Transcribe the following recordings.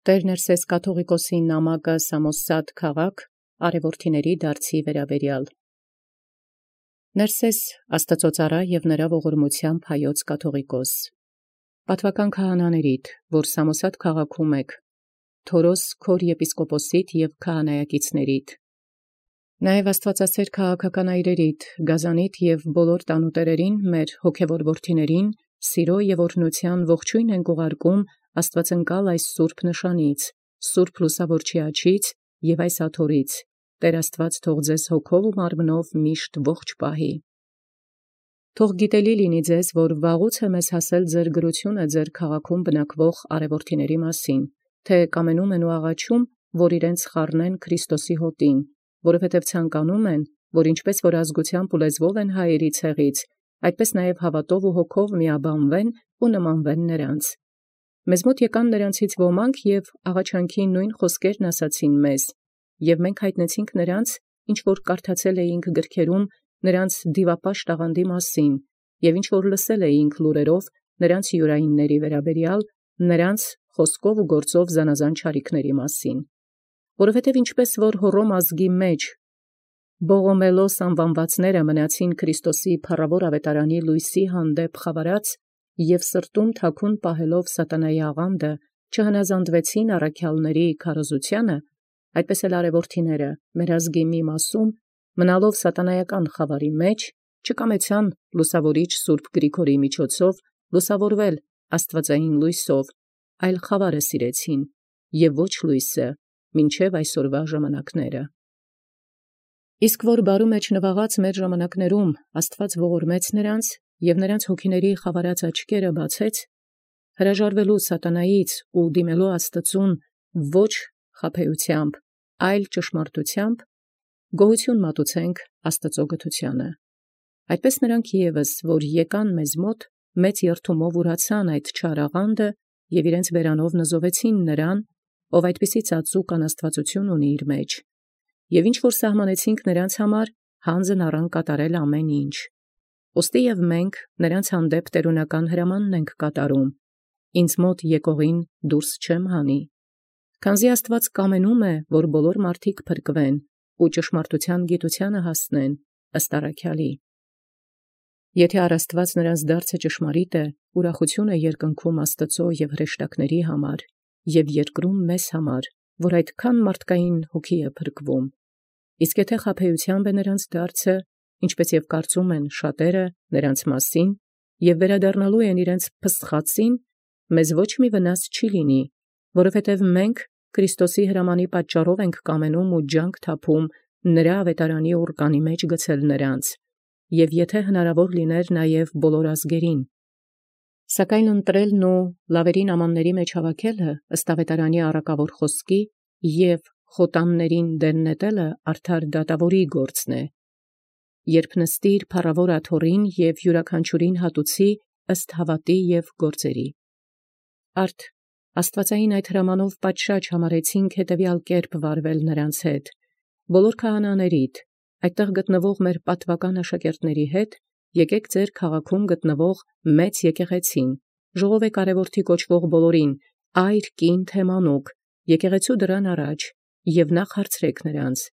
Տեր Ներսես կաթողիկոսի նամակը Սամոսատ քաղաք արևորթիների դարձի վերաբերյալ։ Ներսես Աստծոծառայ և նրա ողորմությամբ հայոց կաթողիկոս։ Պատվական քահանաներիդ, որ Սամոսատ քաղաքում եք, Թորոս քոր եպիսկոպոսիտ և քահանայակիցներիդ, նաև Աստվածասեր քաղաքական այրերիդ, Գազանիդ և բոլոր տանուտերերին մեր հոգևոր որդիներին, սիրո և օրհնության ողջույն ենք ուղարկում Աստվածընկալ այս սուրբ նշանից, սուրբ լուսավորչի աջից և այս աթոռից, Տեր Աստված թող ձեզ հոգով ու մարմնով միշտ ողջ պահի։ Թող գիտելի լինի ձեզ, որ վաղուց մեզ հասել ձեր գրությունը ձեր քաղաքում բնակվող արևորթիների մասին, թե կամենում են ու աղաչում, որ իրենց խառնեն Քրիստոսի հոտին, որովհետև ցանկանում են, որ ինչպես որ ազգությամբ ու լեզվով են հայերի ցեղից, այդպես նաև հավատով ու հոգով միաբանվեն ու նմանվեն նրանց։ Մեզ մոտ եկան նրանցից ոմանք և աղաչանքի նույն խոսքերն ասացին մեզ, և մենք հայտնեցինք նրանց, ինչ որ կարդացել էինք գրքերում նրանց դիվապաշտ աղանդի մասին, և ինչ որ լսել էինք լուրերով նրանց յուրայինների վերաբերյալ, նրանց խոսքով ու գործով զանազան չարիքների մասին։ Որովհետև ինչպես որ Հոռոմ ազգի մեջ Բողոմելոս անվանվածները մնացին Քրիստոսի փառավոր ավետարանի լույսի հանդեպ խավարած և սրտում թաքուն պահելով սատանայի աղանդը, չհնազանդվեցին առաքյալների քարոզությանը, այդպես էլ արևորթիները մեր ազգի մի մասում, մնալով սատանայական խավարի մեջ, չկամեցան լուսավորիչ Սուրբ Գրիգորիի միջոցով լուսավորվել աստվածային լույսով, այլ խավարը սիրեցին, և ոչ լույսը, մինչև այսօրվա ժամանակները։ Իսկ որ բարու մեջ նվաղած մեր ժամանակներում Աստված ողորմեց նրանց և նրանց հոգիների խավարած աչքերը բացեց, հրաժարվելու սատանայից ու դիմելու Աստծուն ոչ խաբեությամբ, այլ ճշմարտությամբ, գոհություն մատուցենք Աստծո գթությանը։ Այդպես նրանք ևս, որ եկան մեզ մոտ, մեծ երդումով ուրացան այդ չար աղանդը և իրենց բերանով նզովեցին նրան, ով այդպիսի ծածուկ անաստվածություն ունի իր մեջ, և ինչ որ սահմանեցինք նրանց համար, հանձն առան կատարել ամեն ինչ։ Ոստի և մենք նրանց հանդեպ տերունական հրամանն ենք կատարում, ինձ մոտ եկողին դուրս չեմ հանի։ Քանզի Աստված կամենում է, որ բոլոր մարդիկ փրկվեն ու ճշմարտության գիտությանը հասնեն, ըստ առաքյալի։ Եթե առաստված նրանց դարձը ճշմարիտ է, ուրախություն է երկնքում Աստծո և հրեշտակների համար, և երկրում մեզ համար, որ այդքան մարդկային հոգի է փրկվում։ Իսկ եթե խաբեությամբ է նրանց դարձը, ինչպես և կարծում են շատերը նրանց մասին, և վերադառնալու են իրենց փսխածին, մեզ ոչ մի վնաս չի լինի, որովհետև մենք Քրիստոսի հրամանի պատճառով ենք կամենում ու ջանք թափում նրա ավետարանի ուռկանի մեջ գցել նրանց, և եթե հնարավոր լիներ նաև բոլոր ազգերին։ Սակայն ընտրելն ու լավերին ամանների մեջ հավաքելը ըստ ավետարանի առակավոր խոսքի և խոտաններին դեն նետելը արդար դատավորի գործն է, երբ նստիր փառավոր աթոռին և յուրաքանչյուրին հատուցի ըստ հավատի և գործերի։ Արդ աստվածային այդ հրամանով պատշաճ համարեցինք հետևյալ կերպ վարվել նրանց հետ, բոլոր քահանաներիդ, այդտեղ գտնվող մեր պատվական աշակերտների հետ, եկեք ձեր քաղաքում գտնվող մեծ եկեղեցին, ժողովեք արևորդի կոչվող բոլորին, այր կին թե մանուկ, եկեղեցու դրան առաջ, և նախ հարցրեք նրանց.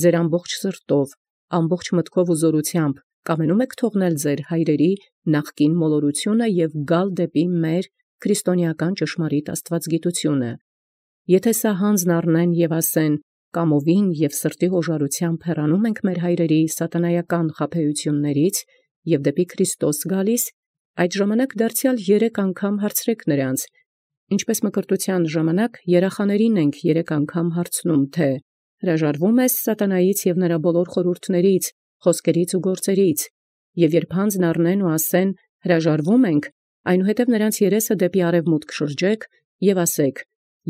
ձեր ամբողջ սրտով, ամբողջ մտքով ու զորությամբ կամենում եք թողնել ձեր հայրերի նախկին մոլորությունը և գալ դեպի մեր քրիստոնեական ճշմարիտ աստվածգիտությունը։ Եթե սա հանձն առնեն և ասեն, կամովին և սրտի ղոժարությամբ հեռանում ենք մեր հայրերի սատանայական խաբեություններից և դեպի Քրիստոս գալիս, այդ ժամանակ դարձյալ 3 անգամ հարցրեք նրանց, ինչպես մկրտության ժամանակ երախաներին ենք 3 անգամ հարցնում, թե հրաժարվում ես սատանայից և նրա բոլոր խորհուրդներից, խոսքերից ու գործերից, և երբ հանձն առնեն ու ասեն հրաժարվում ենք, այնուհետև նրանց երեսը դեպի արևմուտք շրջեք և ասեք.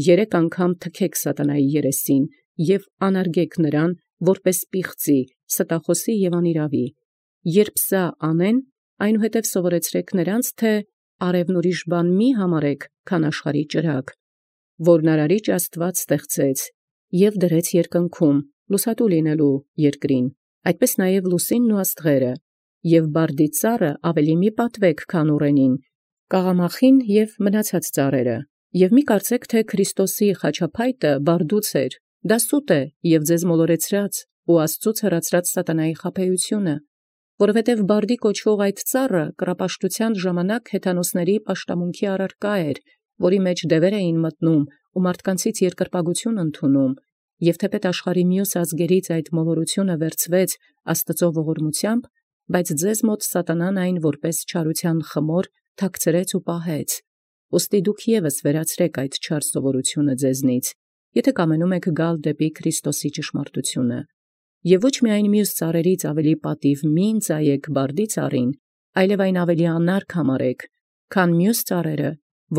3 անգամ թքեք սատանայի երեսին և անարգեք նրան, որպես պիղծի, ստախոսի և անիրավի։ Երբ սա անեն, այնուհետև սովորեցրեք նրանց, թե արևն ուրիշ բան մի համարեք, քան աշխարհի ճրագ, որն Արարիչ Աստված ստեղծեց և դրեց երկնքում, լուսատու լինելու երկրին, այդպես նաև լուսինն ու աստղերը, և բարդի ծառը ավելի մի պատվեք, քան ուռենին, կաղամախին և մնացած ծառերը, Եւ մի կարծեք թէ Քրիստոսի խաչապայտը բարդուց էր, դա սուտ է եւ ձեզ մոլորեցրած ու Աստծուց հեռացրած սատանայի խաբեությունը, որովհետև բարդի կոչվող այդ ծառը կռապաշտութեան ժամանակ հեթանոսների պաշտամունքի առարկա էր, որի մեջ դևեր էին մտնում ու մարդկանցից երկրպագություն ընդունում, եւ թեպետ աշխարհի մյուս ազգերից այդ մոլորությունը վերցվեց Աստծո ողորմությամբ, բայց ձեզ մոտ սատանան այն որպես չարութեան խմոր թաքցրեց ու պահեց։ Ուստի դուք եւս վերացրեք այդ չար սովորությունը ձեզնից, եթե կամենում եք գալ դեպի Քրիստոսի ճշմարտությունը։ Եւ ոչ միայն մյուս ծառերից ավելի պատիվ մի ընծայեք բարդի ծառին, այլև այն ավելի անարգ համարեք, քան մյուս ծառերը,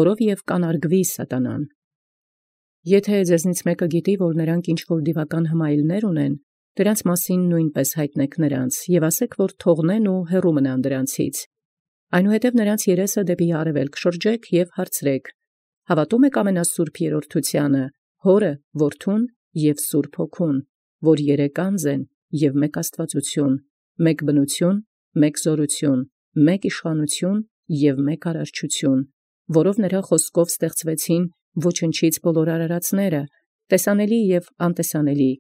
որով եւ կանարգվի սատանան։ Եթե ձեզնից մեկը գիտի, որ նրանք ինչ-որ դիվական հմայիլներ ունեն, դրանց մասին նույնպես հայտնեք նրանց, եւ ասեք, որ թողնեն ու հեռու մնան դրանցից։ Այնուհետև նրանց երեսը դեպի արևելք շրջեք եւ հարցրեք. հավատում եք ամենասուրբ երրորդությանը, Հորը, Որդուն եւ Սուրբ Հոգուն, որ երեք անձ են եւ մեկ Աստվածություն, մեկ բնություն, մեկ զորություն, մեկ իշխանություն եւ մեկ արարչություն, որով նրա խոսքով ստեղծվեցին ոչնչից բոլոր արարածները, տեսանելի եւ անտեսանելի,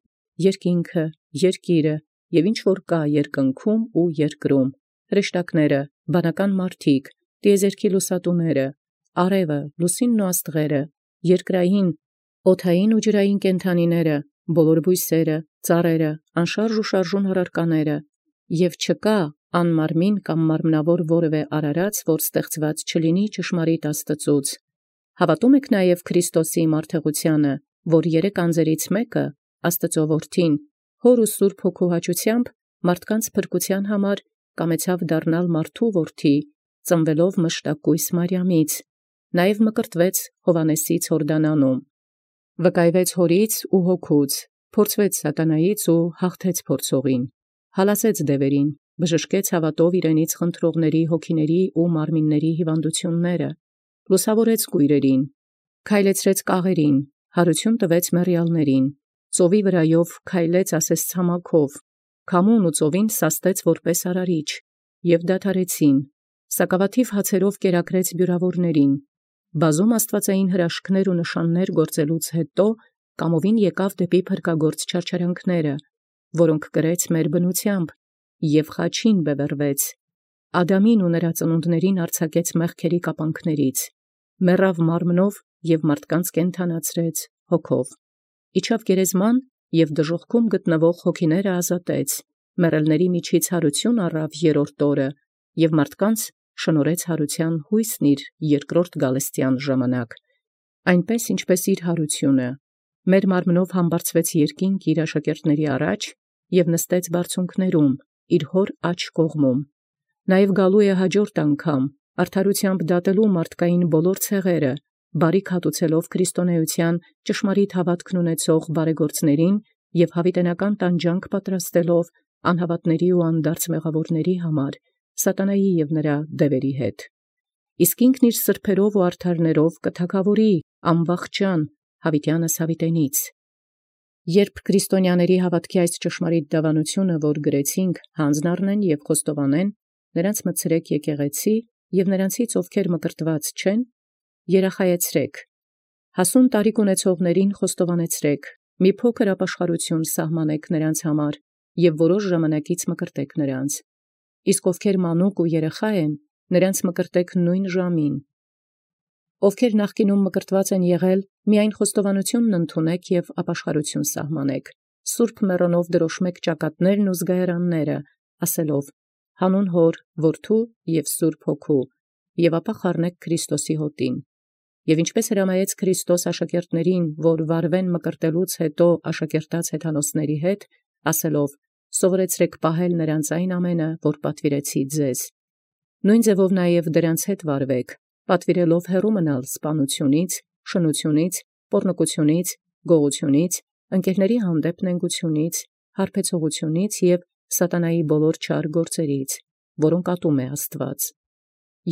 երկինքը, երկիրը եւ ինչ որ կա երկնքում ու երկրում, հրեշտակները, բանական մարդիկ, տիեզերքի լուսատուները, արևը, լուսինն ու աստղերը, երկրային, օդային ու ջրային կենդանիները, բոլոր բույսերը, ծառերը, անշարժ ու շարժուն հռարկաները, եւ չկա անմարմին կամ մարմնավոր որևէ արարած, որ ստեղծված չլինի ճշմարիտ Աստծուց։ Հավատում եք նաև Քրիստոսի մարդեղությանը, որ երեք անձերից մեկը, Աստծո Որդին, Հոր ու Սուրբ Հոգու հաճությամբ մարդկանց փրկության համար կամեցավ դառնալ մարդու որդի, ծնվելով մշտակույս Մարիամից, նաև մկրտվեց Հովանեսից Հորդանանում, վկայվեց Հորից ու Հոգուց, փորձվեց սատանայից ու հաղթեց փորձողին, հալածեց դևերին, բժշկեց հավատով իրենից խնդրողների հոգիների ու մարմինների հիվանդությունները, լուսավորեց կույրերին, քայլեցրեց կաղերին, հարություն տվեց մեռյալներին, ծովի վրայով քայլեց ասես ցամաքով, քամուն ու ծովին սաստեց որպես արարիչ, եւ դադարեցին, սակավաթիվ հացերով կերակրեց բյուրավորներին, բազում աստվածային հրաշքներ ու նշաններ գործելուց հետո կամովին եկավ դեպի փրկագործ չարչարանքները, որոնք կրեց մեր բնությամբ, եւ խաչին բևեռվեց, Ադամին ու նրա ծնունդներին արձակեց մեղքերի կապանքներից, մեռավ մարմնով եւ մարդկանց կենդանացրեց հոգով, իջավ գերեզման եւ դժոխքում գտնվող հոգիները ազատեց, մեռելների միջից հարություն առավ երրորդ օրը եւ մարդկանց շնորհեց հարության հույսն իր երկրորդ գալստյան ժամանակ, այնպես ինչպես իր հարությունը, մեր մարմնով համբարձվեց երկինք իր աշակերտների առաջ եւ նստեց բարձունքներում, իր հոր աջ կողմում, նաեւ գալու է հաջորդ անգամ, արդարությամբ դատելու մարդկային բոլոր ցեղերը, բարիք հատուցելով քրիստոնեության ճշմարիտ հավատքն ունեցող բարեգործներին եւ հավիտենական տանջանք պատրաստելով անհավատների ու անդարձ մեղավորների համար, սատանայի եւ նրա դևերի հետ։ Իսկ ինքն իր սրբերով ու արդարներով կթագավորի անվախճան հավիտյանս հավիտենից։ Երբ քրիստոնյաների հավատքի այս ճշմարիտ դավանությունը, որ գրեցինք, հանձն առնեն եւ խոստովանեն, նրանց մտցրեք եկեղեցի եւ նրանցից ովքեր մկրտված չեն, երախայեցրեք, հասուն տարիք ունեցողներին խոստովանեցրեք, մի փոքր ապաշխարություն սահմանեք նրանց համար եւ որոշ ժամանակից մկրտեք նրանց, իսկ ովքեր մանուկ ու երեխա են, նրանց մկրտեք նույն ժամին։ Ովքեր նախկինում մկրտված են եղել, միայն խոստովանությունն ընդունեք եւ ապաշխարություն սահմանեք, սուրբ մեռոնով դրոշմեք ճակատներն ու զգայարանները, ասելով. հանուն Հոր, Որդու եւ Սուրբ Հոգու, եւ ապա խառնեք Քրիստոսի հոտին։ Եւ ինչպես հրամայեց Քրիստոս աշակերտներին, որ վարվեն մկրտելուց հետո աշակերտած հեթանոսների հետ, ասելով. սովորեցրեք պահել նրանց այն ամենը, որ պատվիրեցի ձեզ։ Նույն ձևով նաեւ դրանց հետ վարվեք, պատվիրելով հեռու մնալ սպանությունից, շնությունից, պոռնկությունից, գողությունից, ընկերների հանդեպ նենգությունից, հարբեցողությունից եւ սատանայի բոլոր չար գործերից, որոնք ատում է Աստված։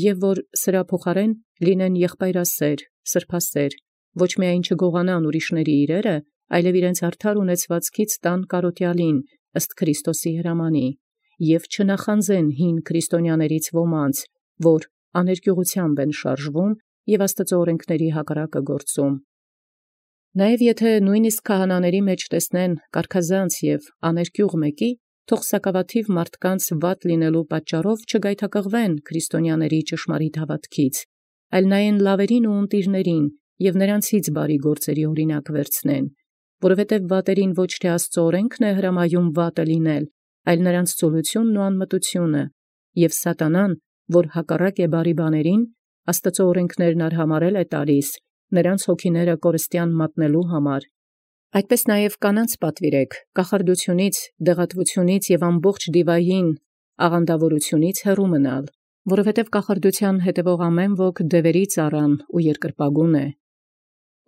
Եվ որ սրա փոխարեն լինեն եղբայրասեր, սրբասեր, ոչ միայն չգողանան ուրիշների իրերը, այլև իրենց արդար ունեցվածքից տան կարոտյալին, ըստ Քրիստոսի հրամանի, եւ չնախանձեն հին քրիստոնյաներից ոմանց, որ աներկյուղությամբ են շարժվում և Աստուծոյ օրենքացն հակառակը գործում։ Նաև եթէ նույնիսկ քահանաց մեջ տեսնեն կարգազանց և աներկյուղ մեկի, թող սակավաթիվ մարդկանց վատ լինելու պատճառով չգայթակղվեն քրիստոնյաների ճշմարիտ հաւատոց, այլ նայեն լավերին ու ընտիրներին և նրանցից բարի գործերի օրինակ վերցնեն, որովհետև վատերին ոչ թե Աստուծոյ օրենքն է հրամայում վատը լինել, այլ նրանց ծուլութիւնն ու անմտութիւնը, և Սատանան, որ հակառակ է բարի բաներին, Աստուծոյ օրենքներն արհամարհել է տալիս, նրանց հոգիները կորստեան մատնելու համար։ Այդպէս նաև կանանց պատուիրեք, կախարդութիւնից, դեղատվութիւնից և ամբողջ դիւային աղանդաւորութիւնից հեռու մնալ, որովհետև կախարդութեան հետևող ամեն ոք դևերի ծառան ու երկրպագուն է։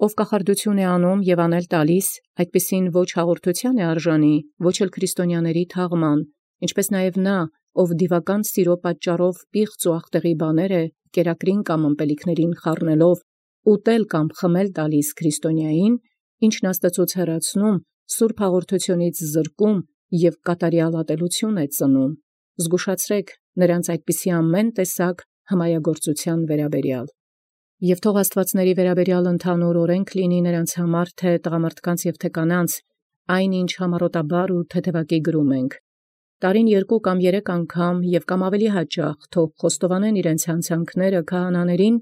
Ով կախարդութիւն է անում և անել տալիս, այդպիսին ոչ հաղորդութեան է արժանի, ոչ էլ քրիստոնյաների թաղման, ինչպէս նաև նա, ով դիւական սիրո պատճառով պիղծ ու աղտեղի բաներ է կերակրին կամ ըմպելիքներին խառնելով ուտել կամ խմել տալիս քրիստոնյային, ինչն Աստուծոյց հեռացնում, սուրբ հաղորդութիւնից զրկում և կատարյալ ատելութիւն է ծնում։ Զգուշացրէք նրանց այդպիսի ամեն տեսակ հմայագործութեան վերաբերյալ։ Եվ թող աստուածների վերաբերյալ ընդհանուր օրենք լինի նրանց համար թե տղամարդկանց և թե կանանց, այն ինչ համառոտաբար ու թեթևակի գրում ենք։ Տարին 2 կամ 3 անգամ և կամ ավելի հաճախ թող խոստովանեն իրենց հանցանքները քահանաներին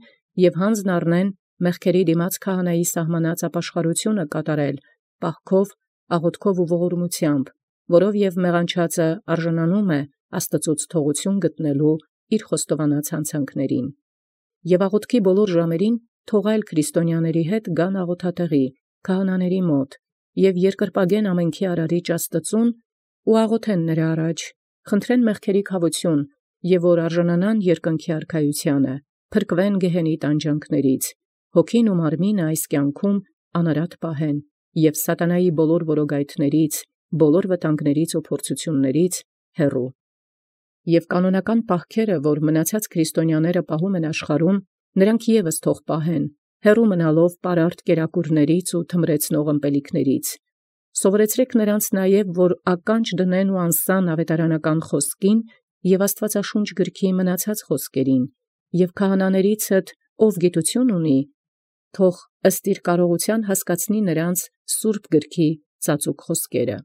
և յանձն առնեն մեղքերի դիմաց քահանայի սահմանած ապաշխարութիւնը կատարել, պահքով, աղոթքով ու ողորմութեամբ, որով և մեղանչածը արժանանում է Աստուծոյց թողութիւն գտնելու իր խոստովանած հանցանքներին։ Եւ աղոթքի բոլոր ժամերին թող այլ քրիստոնյաների հետ գան աղոթատեղի, քահանաների մոտ, և երկրպագեն ամենքի արարիչ Աստուծուն ու աղոթեն նրա առաջ, խնդրեն մեղքերի քաւություն, եւ որ արժանանան երկնքի արքայութիւնը, փրկվեն գեհենի տանջանքներից, հոգին ու մարմինը այս կյանքում անարատ պահեն, և սատանայի բոլոր որոգայթներից, բոլոր վտանգներից ու փորձութիւններից հեռու։ Եւ կանոնական պահքերը, որ մնացած քրիստոնյաները պահում են աշխարհում, նրանք եւս թող պահեն, հեռու մնալով պարարտ կերակուրներից ու թմրեցնող ըմպելիքներից։ Սովորեցրեք նրանց նաև, որ ականջ դնեն ու անսան աւետարանական խոսքին և Աստուածաշունչ գրքի մնացած խոսքերին, և քահանաներիցդ ով գիտութիւն ունի, թող ըստ իր կարողութեան հասկացնի նրանց սուրբ գրքի ծածուկ խոսքերը։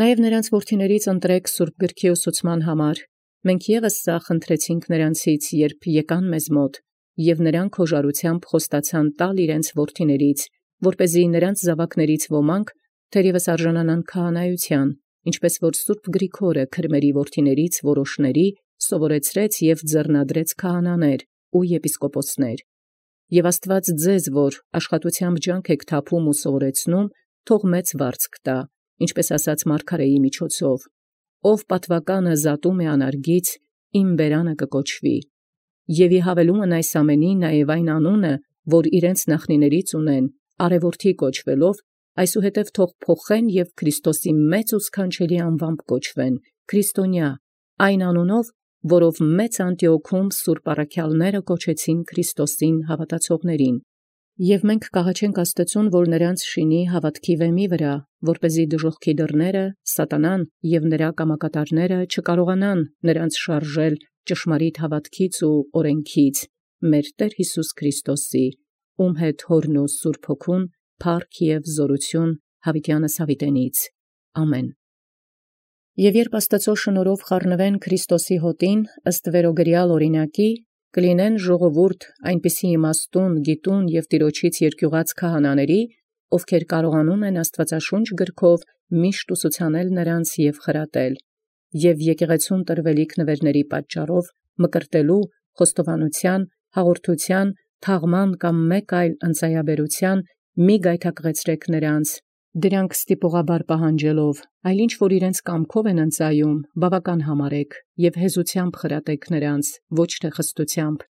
Նաև նրանց որդիցն ընտրեք սուրբ գրքի ուսուցման համար։ Մենք եւս սա խնդրեցինք նրանցից, երբ եկան մեզ մոտ, և նրանք հոժարութեամբ խոստացան տալ իրենց որդիցն, որպեսզի նրանց զաւակներից ոմանք թերևս արժանանան քահանայութեան, ինչպէս որ սուրբ Գրիգորը քրմերի որդիցն որոշների սովորեցրեց և ձեռնադրեց քահանաներ ու եպիսկոպոսներ։ Եւ Աստուած ձեզ, որ աշխատութեամբ ջանք եք թափում ու սովորեցնում, թող մեծ վարձք տա, ինչպէս ասաց մարգարէի միջոցով. «Ով պատուականը զատում է անարգից, իմ բերանը կկոչվի»։ Եւ ի հավելումն այս ամենի նաև այն անունը, որ իրենց նախնիներից ունեն, արևորդի կոչվելով, այսուհետև թող փոխեն և Քրիստոսի մեծ ու սքանչելի անուամբ կոչվեն, քրիստոնյա, այն անունով, որով մեծ Անտիոքում սուրբ առաքյալները կոչեցին Քրիստոսին հավատացողներին։ Եւ մենք կաղաչենք Աստուծուն, որ նրանց շինի հաւատքի վեմի վրա, որպեսզի դժոխքի դռները, Սատանան և նրա կամակատարները չկարողանան նրանց շարժել ճշմարիտ հաւատքից ու օրենքից, մեր Տեր Յիսուս Քրիստոսի, ում հետ Հօրն ու Սուրբ Հոգուն փառք և զօրութիւն յաւիտեանս յաւիտենից։ Ամեն։ Եւ երբ Աստուծոյ շնորհով խառնվեն Քրիստոսի հոտին ըստ վերոգրեալ օրինակի, կլինեն ժողովուրդ այնպիսի իմաստուն, գիտուն և Տեառնից երկյուղած քահանաների, ովքեր կարողանում են Աստուածաշունչ գրքով միշտ ուսուցանել նրանց և խրատել, և եկեղեցուն տրվելիք նվերների պատճառով մկրտելու, խոստովանութեան, հաղորդութեան, թաղման կամ մեկ այլ ընծայաբերութեան մի գայթակղեցրեք նրանց, դրանք ստիպողաբար պահանջելով, այլ ինչ որ իրենց կամքով են ընծայում, բավական համարեք և հեզութեամբ խրատեք նրանց, ոչ թե խստութեամբ,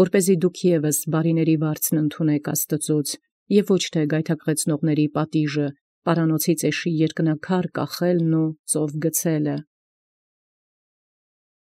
որպեսզի դուք եւս բարիների վարձն ընդունեք Աստուծոց, և ոչ թե գայթակղեցնողների պատիժը, պարանոցի ծեշի երկնաքար կախելն ու ծով գցելը։